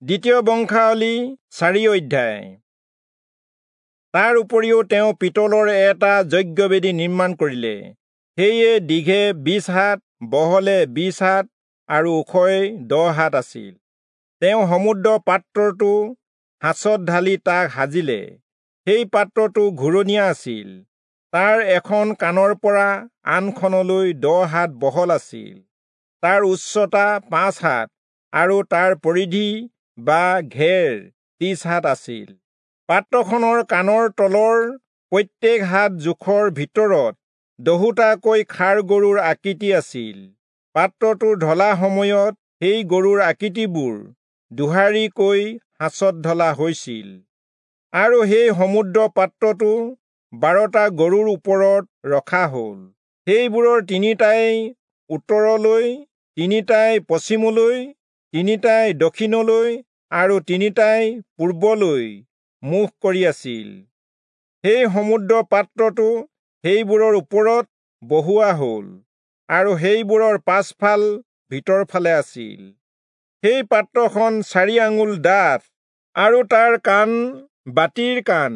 দ্বিতীয় বংশাৱলী 4 অধ্যায়। তাৰ উপৰিও তেওঁ পিতলৰ এটা যজ্ঞবেদী নিৰ্মাণ কৰিলে। সেয়ে দীঘে 20 হাত, বহলে 20 হাত আৰু ওখই 10 হাত আছিল। তেওঁ সমুদ্ৰ পাত্ৰটো সাঁচত ঢালি তাক সাজিলে। সেই পাত্ৰটো ঘূৰণীয়া আছিল। তাৰ এখন কাণৰ পৰা আনখনলৈ 10 হাত বহল আছিল। তাৰ উচ্চতা 5 হাত আৰু তাৰ পৰিধি বা ঘেৰ 30 হাত আছিল। পাত্ৰখনৰ কাণৰ তলৰ প্ৰত্যেক হাত জোখৰ ভিতৰত 10টাকৈ ষাঁড় গৰুৰ আকৃতি আছিল। পাত্ৰটো ঢলা সময়ত সেই গৰুৰ আকৃতিবোৰ দুহাৰিকৈ সাঁচত ঢলা হৈছিল। আৰু সেই সমুদ্ৰ পাত্ৰটো 12টা গৰুৰ ওপৰত ৰখা হ'ল। সেইবোৰৰ 3টাই উত্তৰলৈ, 3টাই পশ্চিমলৈ, 3টাই দক্ষিণলৈ আৰু 3টাই পূৰ্বলৈ মুখ কৰি আছিল। সেই সমুদ্ৰ পাত্ৰটো সেইবোৰৰ ওপৰত বহুৱা হ'ল আৰু সেইবোৰৰ পাছফাল ভিতৰফালে আছিল। সেই পাত্ৰখন 4 আঙুল ডাঠ আৰু তাৰ কাণ বাতিৰ কাণ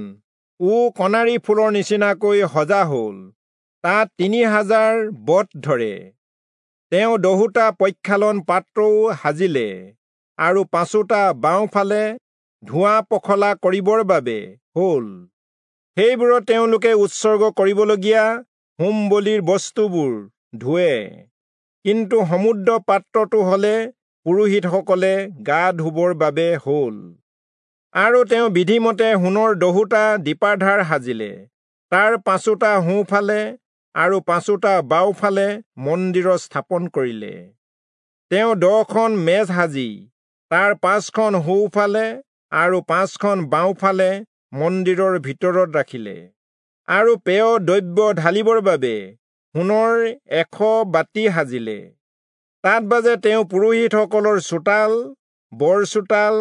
ও কণাৰী ফুলৰ নিচিনাকৈ সজা হ'ল। তাত 3000 বট ধৰে। তেওঁ 10টা প্ৰক্ষালন পাত্ৰও সাজিলে আৰু 5টা বাওঁফালে ধোঁৱা পখলা কৰিবৰ বাবে হ'ল। সেইবোৰত তেওঁলোকে উৎসৰ্গ কৰিবলগীয়া হোম বলিৰ বস্তুবোৰ ধোৱে। কিন্তু সমুদ্ৰ পাত্ৰটো হলে পুৰোহিতসকলে গা ধুবৰ বাবে হ'ল। আৰু তেওঁ বিধিমতে সোণৰ 10টা দীপাধাৰ সাজিলে। তাৰ 5টা সোঁফালে আৰু 5টা বাওঁফালে মন্দিৰত স্থাপন কৰিলে। তেওঁ 10খন মেজ সাজি তাৰ 5খন সোঁফালে আৰু 5খন বাওঁফালে মন্দিৰৰ ভিতৰত ৰাখিলে। আৰু পেয় দ্ৰব্য ঢালিবৰ বাবে সোণৰ 100 বাতি সাজিলে। তাত বাজে তেওঁ পুৰোহিতসকলৰ চোতাল, বৰ চোতাল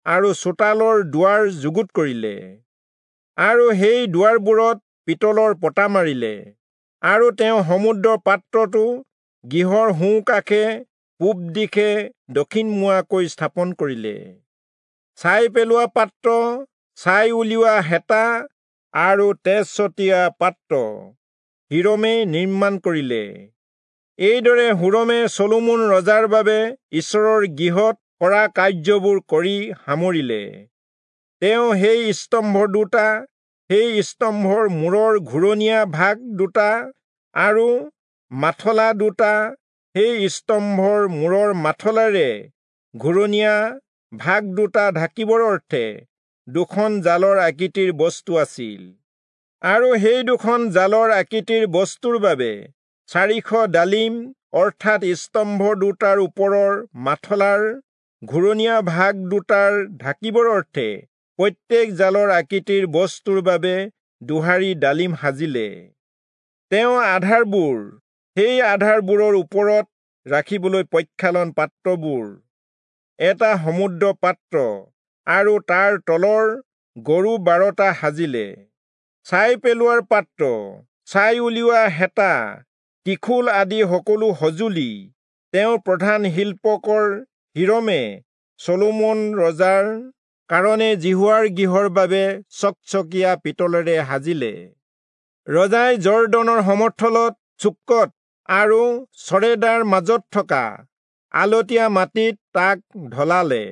আৰু চোতালৰ দুৱাৰ যুগুত কৰিলে আৰু সেই দুৱাৰবোৰত পিতলৰ পতা মাৰিলে। আৰু তেওঁ সমুদ্ৰ পাত্ৰটো গৃহৰ সোঁকাষে পূব দিশে দক্ষিণমুৱাকৈ স্থাপন কৰিলে। ছাই পেলোৱা পাত্ৰ, ছাই উলিওৱা হেতা আৰু তেজ ছটিয়া পাত্ৰ হিৰমে নিৰ্মাণ কৰিলে। এইদৰে হুৰমে চলোমন ৰজাৰ বাবে ঈশ্বৰৰ গৃহত কৰা কাৰ্যবোৰ কৰি সামৰিলে। তেওঁ সেই স্তম্ভ দুটা, সেই স্তম্ভৰ মূৰৰ ঘূৰণীয়া ভাগ দুটা আৰু মাথলা দুটা, সেই স্তম্ভৰ মূৰৰ মাথলাৰে ঘূৰণীয়া ভাগ দুটা ঢাকিবৰ অৰ্থে 2খন জালৰ আকৃতিৰ বস্তু আছিল। আৰু সেই 2খন জালৰ আকৃতিৰ বস্তুৰ বাবে 400 ডালিম অৰ্থাৎ স্তম্ভ দুটাৰ ওপৰৰ মাথলাৰ ঘূৰণীয়া ভাগ দুটাৰ ঢাকিবৰ অৰ্থে প্ৰত্যেক জালৰ আকৃতিৰ বস্তুৰ বাবে 2 ডালিম সাজিলে। তেওঁ আধাৰবোৰ, সেই আধাৰবোৰৰ ওপৰত ৰাখিবলৈ প্ৰক্ষালন পাত্ৰবোৰ, এটা সমুদ্ৰ পাত্ৰ আৰু তাৰ তলৰ গৰু 12টা সাজিলে। ছাই পেলোৱাৰ পাত্ৰ, ছাই উলিওৱা হেতা, ত্ৰিশূল আদি সকলো সঁজুলি তেওঁ প্ৰধান শিল্পকৰ হিৰমে চলোমন ৰজাৰ কাৰণে যিহোৱাৰ গৃহৰ বাবে চকচকীয়া পিতলেৰে সাজিলে। ৰজাই জৰ্দনৰ সমথলত চুক্কত আৰু চৰেদাৰ মাজত থকা আলতীয়া মাটিত তাক ঢলালে।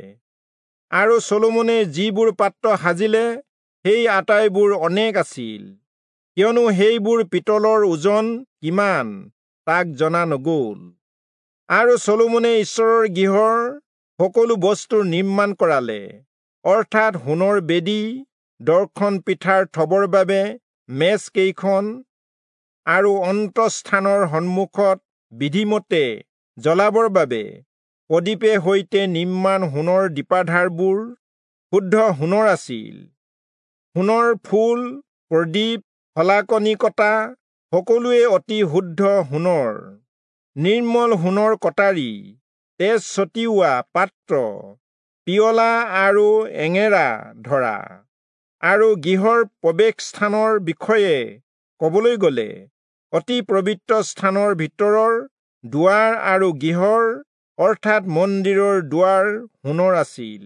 আৰু চলোমনে যিবোৰ পাত্ৰ সাজিলে সেই আটাইবোৰ অনেক আছিল, কিয়নো সেইবোৰ পিতলৰ ওজন কিমান তাক জনা নগ'ল। আৰু চলোমনে ঈশ্বৰৰ গৃহৰ সকলো বস্তুৰ নিৰ্মাণ কৰালে, অৰ্থাৎ সোণৰ বেদী, দৰ্শন পিঠাৰ থবৰ বাবে মেজ কেইখন আৰু অন্তঃস্থানৰ সন্মুখত বিধিমতে জ্বলাবৰ বাবে প্ৰদীপে সৈতে নিৰ্মাণ সোণৰ দীপাধাৰবোৰ শুদ্ধ সোণৰ আছিল। সোণৰ ফুল, প্ৰদীপ, শলাকনি কটা সকলোৱে অতি শুদ্ধ সোণৰ। নিৰ্মল সোণৰ কটাৰী, তেজ ছটিওৱা পাত্ৰ, পিয়লা আৰু এঙেৰা ধৰা। আৰু গৃহৰ প্ৰৱেশস্থানৰ বিষয়ে কবলৈ গ'লে অতি পবিত্ৰ স্থানৰ ভিতৰৰ দুৱাৰ আৰু গৃহৰ অৰ্থাৎ মন্দিৰৰ দুৱাৰ সোণৰ আছিল।